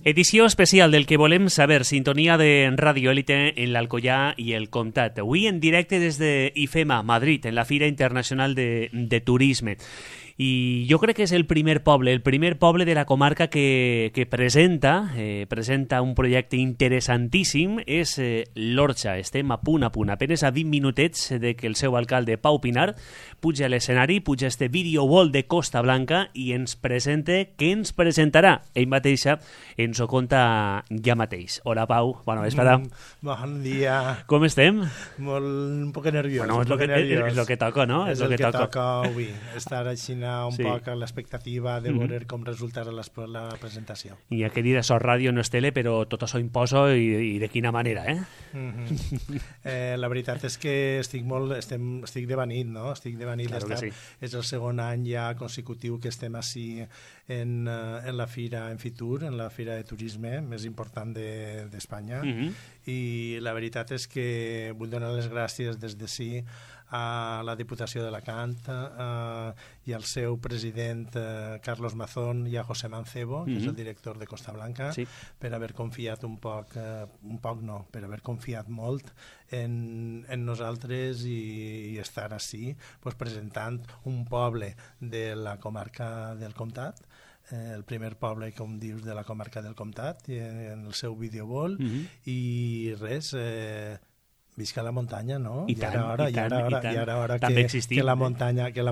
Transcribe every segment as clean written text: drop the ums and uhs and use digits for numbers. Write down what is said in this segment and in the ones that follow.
Edició especial del que volem saber, sintonia de Ràdio Élite en l'Alcoià i el Comtat. Avui en directe des de IFEMA, Madrid, en la Fira Internacional de Turisme. I jo crec que és el primer poble de la comarca que presenta un projecte interessantíssim, és l'Orxa. Estem a punt, apenes a 20 minutets de que el seu alcalde, Pau Pinar, puja a l'escenari, puja este video wall de Costa Blanca i ens presenta, què ens presentarà? Ell mateixa ens ho conta ja mateix. Hola, Pau, bona vesprada. Bon dia. Com estem? Un poc nerviós. Bueno, és el que toca, no? És el que toca avui, estar així un poc a l'expectativa de veure com resultarà la presentació. I ja que dir, això ràdio no és tele, però tot això imposa i de quina manera, eh? La veritat és que estic devenint, no? Estic devenint. Claro que sí. És el segon any ja consecutiu que estem així en la fira en Fitur, en la fira de turisme més important d'Espanya, i la veritat és que vull donar les gràcies des d'ací a la Diputació d'Alacant i al seu president Carlos Mazón i a José Mancebo, que és el director de Costa Blanca, per haver confiat per haver confiat molt en nosaltres i estar així presentant un poble de la comarca del Comtat, el primer poble, com dius, de la comarca del Comtat, en el seu videowall, i res... Visca la muntanya, no? I ara hora que la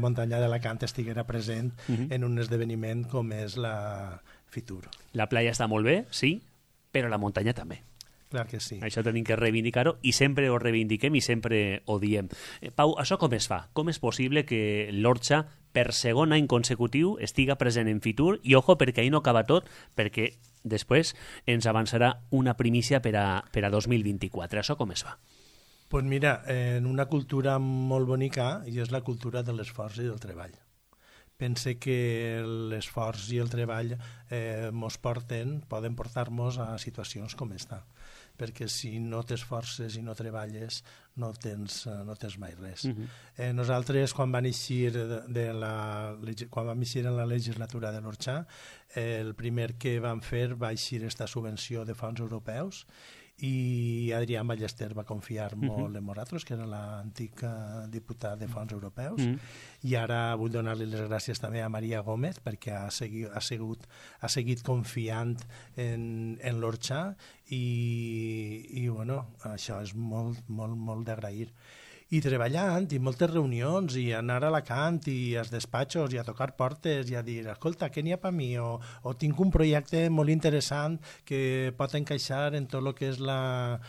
muntanya d'Alacant estiguera present en un esdeveniment com és la Fitur. La playa està molt bé, sí, però la muntanya també. Clar que sí. Això tenim que reivindicar-ho i sempre ho reivindiquem i sempre ho diem. Pau, això com es fa? Com és possible que l'Orxa per segon any consecutiu estiga present en Fitur? I ojo, perquè ahir no acaba tot, perquè després ens avançarà una primícia per a 2024. Això com es fa? Pues mira, en una cultura molt bonica, i és la cultura de l'esforç i del treball. Pense que l'esforç i el treball poden portar-nos a situacions com esta, perquè si no t'esforces i no treballes no tens mai res. Nosaltres, quan vam eixir en la legislatura de l'Orxa, el primer que vam fer va eixir esta subvenció de fons europeus, i Adrián Ballester va confiar molt en nosaltres, que era l'antic diputat de fons europeus, i ara vull donar-li les gràcies també a Maria Gómez, perquè ha seguit confiant en l'Orxa, i bueno, això és molt, molt, molt d'agrair. I treballant, i moltes reunions, i anar a Alacant, i als despatxos, i a tocar portes, i a dir, escolta, què n'hi ha per mi? O tinc un projecte molt interessant que pot encaixar en tot el que és la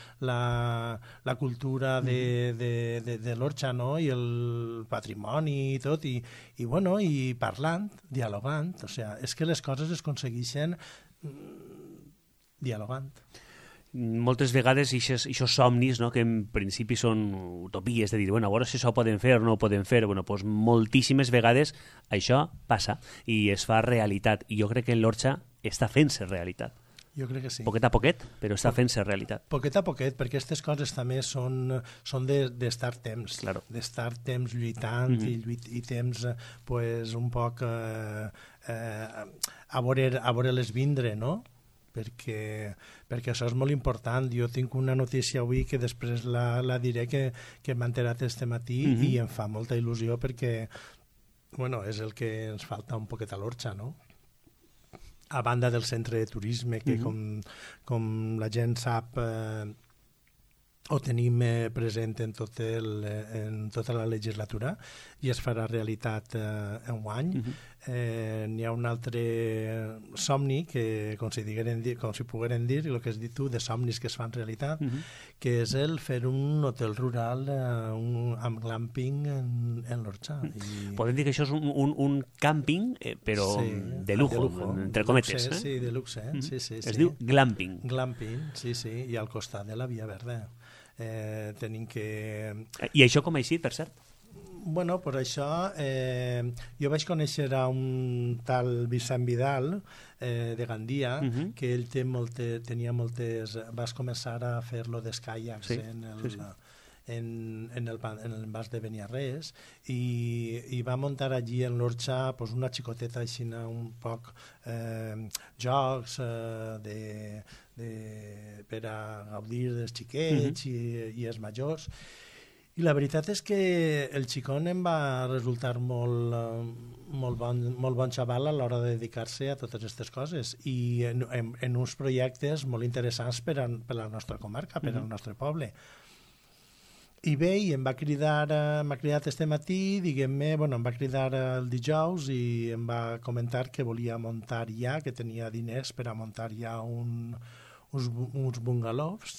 cultura de l'Orxa, no? I el patrimoni i tot, i bueno, i parlant, dialogant, o sigui, és que les coses es aconsegueixen dialogant. Moltes vegades aquests somnis, no, que en principi són utopies, de dir, bueno, a veure si això ho poden fer o no ho poden fer, bueno, doncs moltíssimes vegades això passa i es fa realitat, i jo crec que l'Orxa està fent-se realitat. Jo crec que sí. Poquet a poquet, però està fent-se realitat. Poquet a poquet, perquè aquestes coses també són d'estar temps, claro. D'estar temps lluitant i temps un poc a veure-les vindre, no? Perquè això és molt important. Jo tinc una notícia avui que després la diré, que m'ha enterat este matí, i em fa molta il·lusió perquè bueno, és el que ens falta un poquet a l'Orxa, no? A banda del centre de turisme, que com la gent sap ho tenim present en tota la legislatura i es farà realitat enguany. N'hi ha un altre somni que, com si pogueren dir, el que has dit tu, de somnis que es fan realitat, que és el fer un hotel rural amb glamping en l'Orxa. Podem dir que això és un càmping, però de lujo, entre cometes. Sí, de luxe. Es diu glamping. Glamping, sí, i al costat de la Via Verda. Tenim que... I això com ha eixit, per cert? Bueno, per això jo vaig conèixer a un tal Vicent Vidal de Gandia, que ell tenia moltes... Vas començar a fer-lo d'escaiacs en el mas de Beniarrés, i va muntar allí en l'Orxa pues, una xicoteta així un poc jocs per a gaudir dels xiquets i els majors. I la veritat és que el xicón em va resultar molt bon xaval a l'hora de dedicar-se a totes aquestes coses i en uns projectes molt interessants per a la nostra comarca, per al nostre poble. I bé, i m'ha cridat este matí, diguem-me, em va cridar el dijous i em va comentar que volia muntar ja, que tenia diners per a muntar ja uns bungalows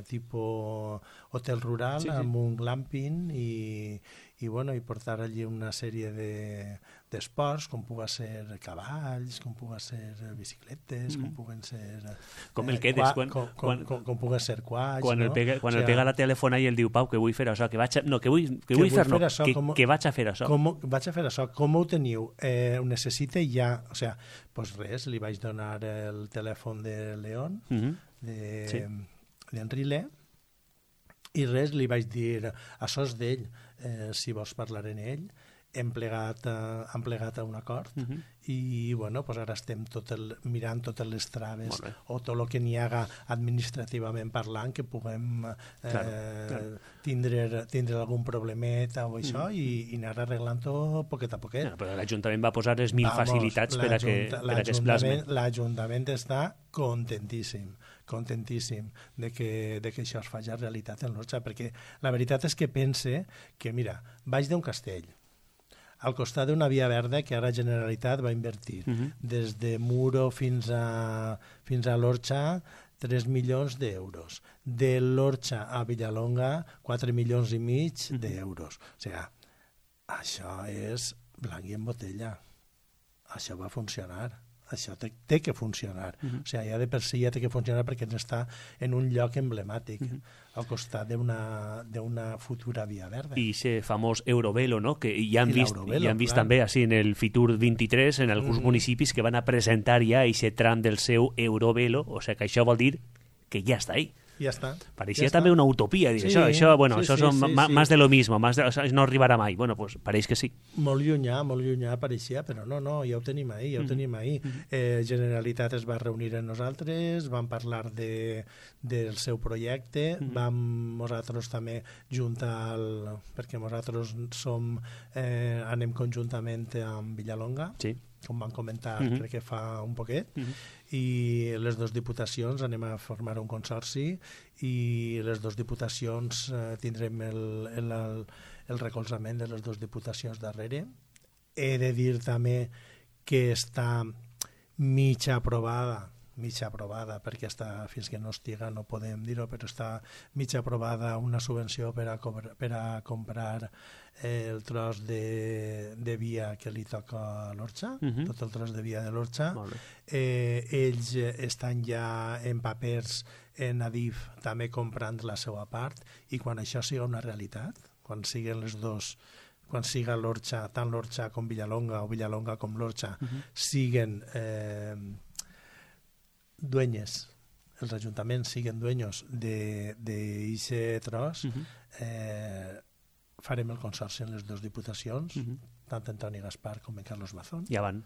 tipus hotel rural amb un glamping i portar allí una sèrie d'esports com pugui ser cavalls, com pugui ser bicicletes, com puguen ser com el quedes com pugui ser quads, quan el pega la telefona i el diu Pau que vull fer això, que vaig a fer això. Vaig a fer això, com ho teniu? Ho necessita ja, o sigui, doncs res, li vaig donar el telèfon de León, d'Enrile, i res, li vaig dir, això és d'ell, si vols parlar en ell, hem plegat a un acord i ara estem mirant totes les traves o tot el que n'hi haga administrativament parlant que puguem tindre algun problemet o això i anar arreglant-ho poquet a poquet. Però l'Ajuntament va posar les 1000 facilitats per a que es plasmen. L'Ajuntament està contentíssim de que això es faci realitat en l'Orxa, perquè la veritat és que pense que, mira, baix d'un castell, al costat d'una via verda que ara Generalitat va invertir, des de Muro fins a l'Orxa, 3 milions d'euros. De l'Orxa a Villalonga, 4 milions i mig d'euros. O sigui, això és blanc i en botella. Això va funcionar. Això té que funcionar. O sigui, ja de per si ja té que funcionar perquè està en un lloc emblemàtic, al costat d'una futura via verda. I ese famós Eurovelo, no? Que ja han vist també així en el Fitur 23, en alguns municipis que van a presentar ja aquest tram del seu Eurovelo, o sigui que això vol dir que ja està ahí. Ja està. Pareixia també una utopia, dir, això són més de lo mismo, no arribarà mai. Bueno, pues pareix que sí. Molt llunyà pareixia, però no, ja ho tenim ahí, Generalitat es va reunir amb nosaltres, vam parlar del seu projecte, vam nosaltres també juntar, perquè nosaltres anem conjuntament amb Villalonga, com vam comentar, crec que fa un poquet, i les dues diputacions anem a formar un consorci i les dues diputacions tindrem el recolzament de les dues diputacions darrere. He de dir també que està mig aprovada, perquè fins que no estiga no podem dir-ho, però està mig aprovada una subvenció per a comprar el tros de via que li toca a l'Orxa, tot el tros de via de l'Orxa. Ells estan ja en papers en Adif també comprant la seva part i quan això siga una realitat, quan siguen les dos, quan siga l'Orxa, tant l'Orxa com Villalonga o Villalonga com l'Orxa, siguen dueños, els ajuntaments siguen dueños d'aquest tros, farem el consorci en les dues diputacions, tant Antoni Gaspar com en Carlos Mazón. Ja van.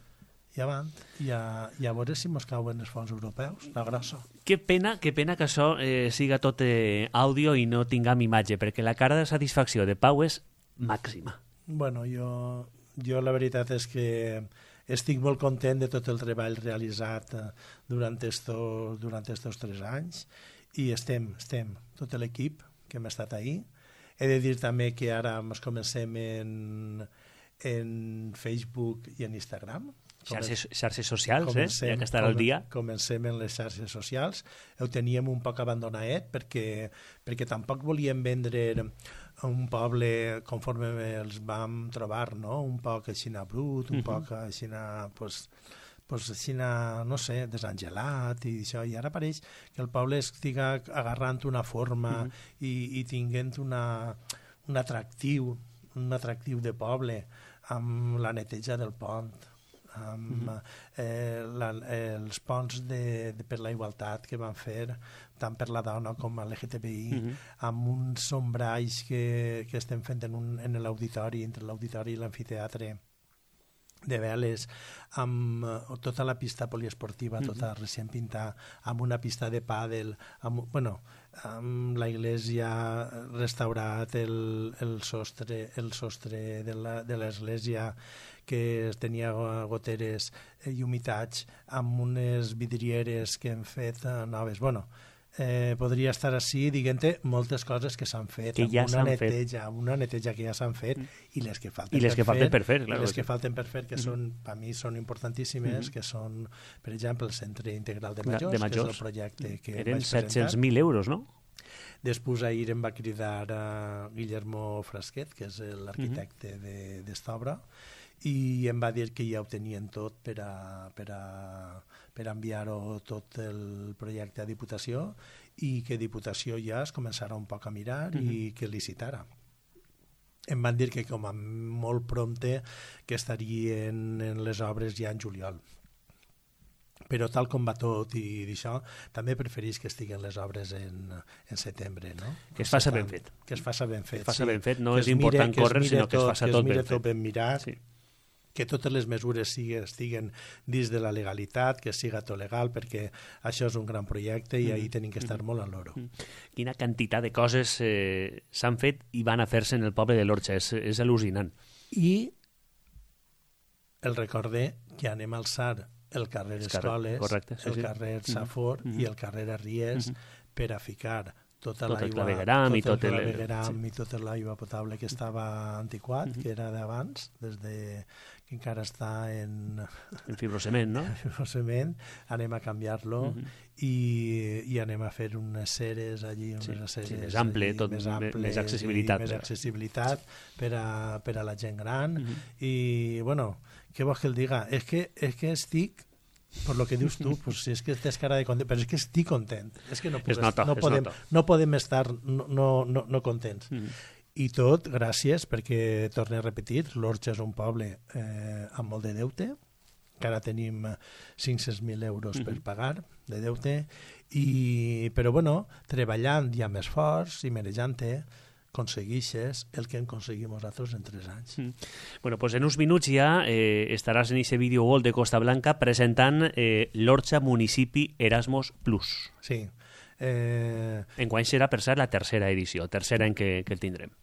I a veure si mos cauen els fons europeus, la grossa. Que pena que això siga tot àudio i no tinguem imatge, perquè la cara de satisfacció de Pau és màxima. Bueno, jo la veritat és que estic molt content de tot el treball realitzat durant estos 3 anys i estem tot l'equip que hem estat ahí. He de dir també que ara ens comencem en Facebook i en Instagram. Xarxes socials, ja que estarà al dia. Comencem en les xarxes socials. Ho teníem un poc abandonadet perquè tampoc volíem vendre un poble conforme els vam trobar, no? Un poc així brut, un poc així no sé, desangelat i això, i ara pareix que el poble estiga agarrant una forma i tinguent un atractiu de poble amb la neteja del pont, amb els ponts per la igualtat que van fer tant per la dona com a l'LGTBI, amb uns sombralls que estem fent en l'auditori, entre l'auditori i l'amfiteatre, de veles, amb tota la pista poliesportiva, tota recient pintada, amb una pista de pàdel, amb la iglesia restaurat, el sostre de l'església que tenia goteres i humitats, amb unes vidrieres que hem fet noves. Podria estar així dient-te moltes coses que s'han fet, que ja una neteja que ja s'han fet i les que falten per fer, que per mi són importantíssimes, que són, per exemple, el Centre Integral de Majors, que és el projecte que eren vaig presentar. 700.000 euros, no? Després ahir em va cridar a Guillermo Frasquet, que és l'arquitecte d'esta i em va dir que ja ho tenien tot per enviar-ho tot el projecte a Diputació i que Diputació ja es començarà un poc a mirar i que licitara. Em van dir que com a molt prompte que estarien en les obres ja en juliol. Però tal com va tot i d'això, també preferís que estiguen les obres en setembre, no? Que es faça ben fet. Que es faça ben fet, no és important córrer, sinó que es faça tot ben fet. Que es mire tot ben mirat, que totes les mesures estiguen dins de la legalitat, que siga tot legal, perquè això és un gran projecte i ahir tenim que estar molt a l'oro. Quina quantitat de coses s'han fet i van a fer-se en el poble de l'Orxa, és al·lucinant. I el recorde que anem a alçar el carrer Escoles, el carrer Safor i el carrer Arries per a ficar tota l'aigua i tota l'aigua potable que estava antiquat, que era d'abans, des de que encara està en fibrocement, no? En fibrocement, anem a canviar-lo i anem a fer unes ceres allí, més ample, més accessibilitat. Més accessibilitat per a la gent gran. I, bueno, què vols que el diga? És que estic, per lo que dius tu, pues si és que tens cara de content, però és que estic content. És que no podem estar no contents. I tot gràcies, perquè, torno a repetir, l'Orxa és un poble amb molt de deute, que ara tenim 500.000 euros per pagar de deute, però bueno, treballant ja més forts i merejant-te, aconsegueixes el que hem aconseguit nosaltres en 3 anys. Bueno, pues en uns minuts ja estaràs en aquest vídeo Gol de Costa Blanca presentant l'Orxa Municipi Erasmus Plus. Sí. Enguany serà, per cert, la tercera edició, tercera en què el tindrem.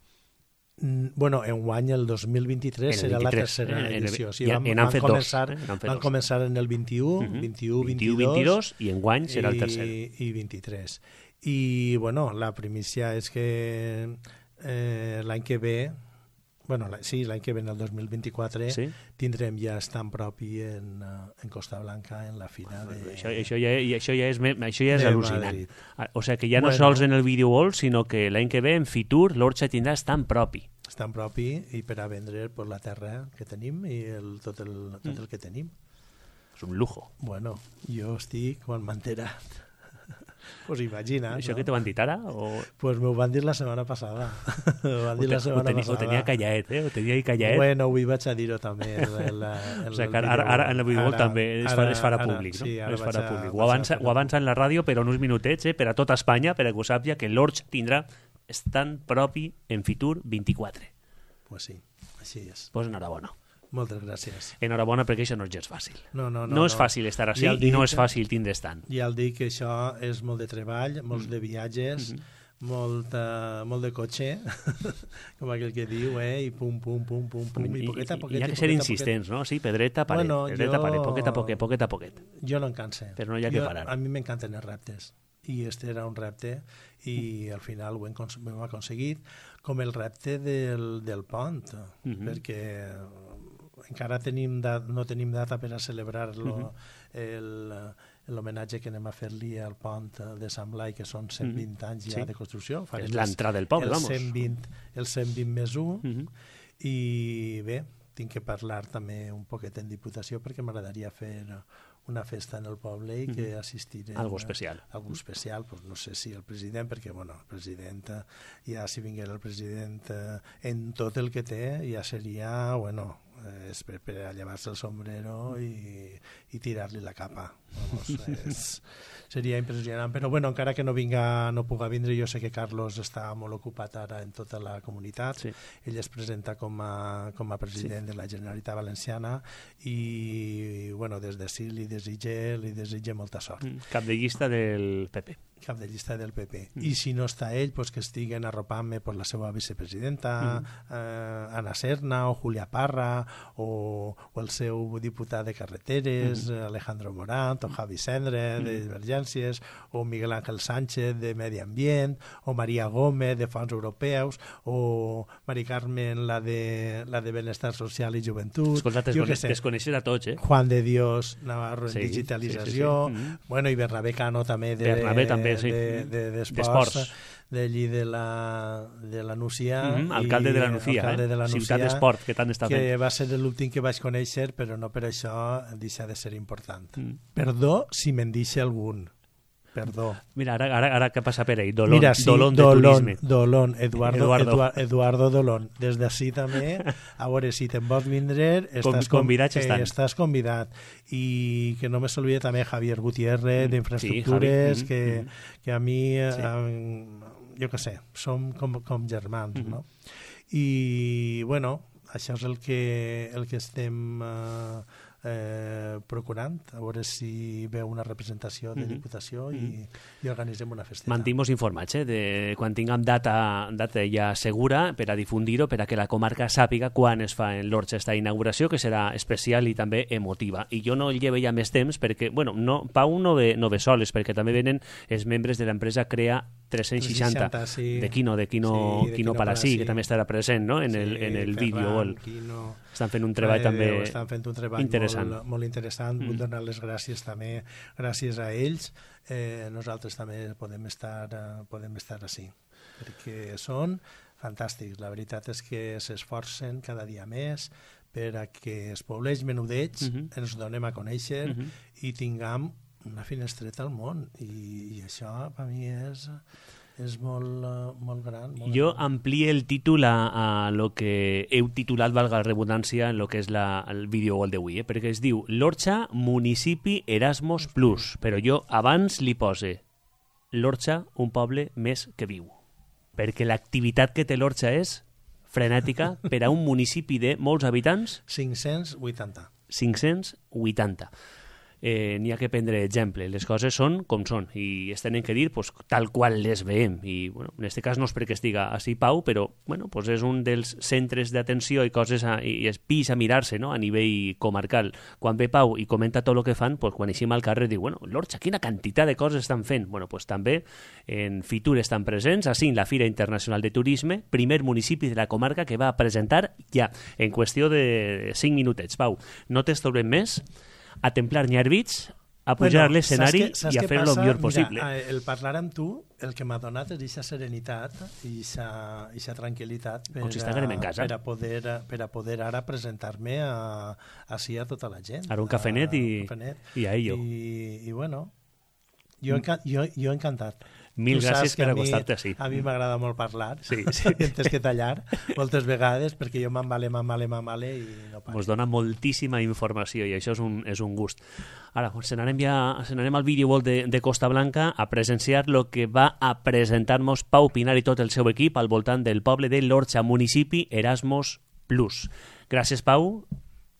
Bueno, enguany el 2023 serà la tercera edició. Van començar en el 21-22 i enguany serà el tercer. I 23. I, bueno, la primícia és que l'any que ve, l'any que ve, en el 2024, tindrem ja estant propi en Costa Blanca, en la fira de... Això ja és al·lucinant. O sigui que ja no sols en el videogol, sinó que l'any que ve, en Fitur, l'Orxa tindrà estant propi. Estant propi i per a vendre la terra que tenim i tot el que tenim. És un lujo. Bueno, jo estic quan m'he enterat. Pues imagina. Això que te van dir ara? Pues m'ho van dir la setmana passada. Ho tenia callaet, Ho tenia callaet. Bueno, avui vaig a dir-ho també. O sigui que ara en el videogol també es farà públic, no? Sí, es farà públic. Ho avança en la ràdio, però en uns minutets, per a tota Espanya, per a que ho sàpiga, que l'Orxa tindrà estant propi en Fitur 24. Pues sí, així és. Pues enhorabona. Moltes gràcies. Enhorabona, perquè això no és gens fàcil. No és fàcil estar així i no és fàcil tindre estant. Ja el dic que això és molt de treball, molts de viatges, molt de cotxe, com aquell que diu, i pum, pum, pum, pum, pum, i poquet a poquet. Hi ha que ser insistents, no? Sí, pedreta, paret, poquet a poquet. Jo no em canse. Però no hi ha que parar. A mi m'encanten els reptes. I este era un repte i al final ho hem aconseguit, com el repte del pont, perquè encara no tenim data per a celebrar-lo, l'homenatge que anem a fer-li al pont de Sant Blai, que són 120 anys ja de construcció. És l'entrada del poble, vamos. El 120 més 1, i bé, tinc que parlar també un poquet en Diputació perquè m'agradaria fer una festa en el poble i que assistirem... Algo especial. Algo especial, pues no sé si el president, perquè, bueno, el president, ja si vinguera el president en tot el que té, ja seria, bueno, és per a llevar-se el sombrero i tirar-li la capa. Vamos, seria impressionant, però bueno, encara que no puga vindre, jo sé que Carlos està molt ocupat ara en tota la comunitat. Sí. Ell es presenta com a president de la Generalitat Valenciana i bueno, des d'ací li desitge molta sort. Cap de llista del PP. Cap de llista del PP. I si no està ell, pues que estiguen arropant-me per la seva vicepresidenta, Ana Serna o Julia Parra o el seu diputat de carreteres, Alejandro Morant, o Javi Cendre de Divergències, o Miguel Ángel Sánchez de Medi Ambient, o Maria Gómez de Fons Europeus, o Mari Carmen, la de Benestar Social i Joventut. Escolta, desconeixes a tots, Juan de Dios Navarro en digitalització, bueno, i Bernabé Cano també d'esports, d'allí de la Nucia, alcalde de la Nucia, ciutat d'esport, que tant està fent, que va ser l'últim que vaig conèixer, però no per això deixa de ser important. Perdó si me'n deixa algun. Perdó. Mira, ara què passa per ell? Dolón de turisme. Dolón, Eduardo Dolón. Des d'ací també, a veure, si te'n vols vindre, estàs convidat. I que no me s'olvide també Javier Gutiérrez d'Infraestructures, que a mi, jo què sé, som com germans, no? I, bueno, això és el que estem procurant, a veure si veu una representació de Diputació i organitzem una festeta. Mantim-vos informats de quan tinguem data ja segura per a difundir-ho, per a que la comarca sàpiga quan es fa en l'Orxa esta inauguració, que serà especial i també emotiva. I jo no llevo ja més temps perquè, bueno, Pau no ve soles, perquè també venen els membres de l'empresa Crea 360 de Quino Palasí, que també estarà present, no? en el vídeo. Estan fent un treball també interessant. Molt interessant. Vull donar les gràcies també, gràcies a ells. Nosaltres també podem estar així, perquè són fantàstics. La veritat és que s'esforcen cada dia més per a que els pobles menudets ens donem a conèixer i tinguem una finestreta al món, i això per mi és molt gran. Jo amplio el títol a lo que heu titulat, valga la redundància, en lo que és el videogol d'avui, perquè es diu l'Orxa Municipi Erasmus Plus, però jo abans li pose l'Orxa, un poble més que viu, perquè l'activitat que té l'Orxa és frenètica per a un municipi de molts habitants. 580. N'hi ha que prendre exemple. Les coses són com són i es tenen que dir pues, tal qual les veiem. I bueno, en aquest cas no és perquè estiga així Pau, però bueno, pues és un dels centres d'atenció i coses i és pis a mirar-se, no? A nivell comarcal. Quan ve Pau i comenta tot el que fan, pues, quan eixim al carrer diu, bueno, l'Orxa, quina quantitat de coses estan fent. Bueno, pues, també en Fitur estan presents, així en la Fira Internacional de Turisme, primer municipi de la comarca que va a presentar ja en qüestió de 5 minutets. Pau, no t'estorbem més, a templar nyarbits, a pujar l'escenari i a fer-lo el millor possible. Mira, el parlar amb tu, el que m'ha donat és aquesta serenitat i aquesta tranquil·litat per a poder ara presentar-me així a tota la gent. Ara un cafenet i a ello. I bueno, jo encantat. Mil gràcies per acostar-te així. A mi m'agrada molt parlar, tens que tallar moltes vegades perquè jo m'embale i no paro. Ens dona moltíssima informació i això és un gust. Ara, se n'anem al videowall de Costa Blanca a presenciar el que va a presentar-nos Pau Pinar i tot el seu equip al voltant del poble de l'Orxa, municipi Erasmus Plus. Gràcies, Pau.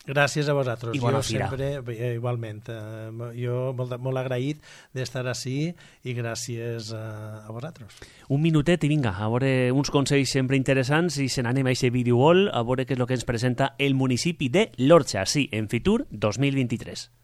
Gràcies a vosaltres. I bona fira. Sempre, igualment. Jo molt agraït d'estar així i gràcies a vosaltres. Un minutet i vinga, a veure uns consells sempre interessants i se n'anem a aquest videowall a veure què és el que ens presenta el municipi de l'Orxa, sí, en Fitur 2023.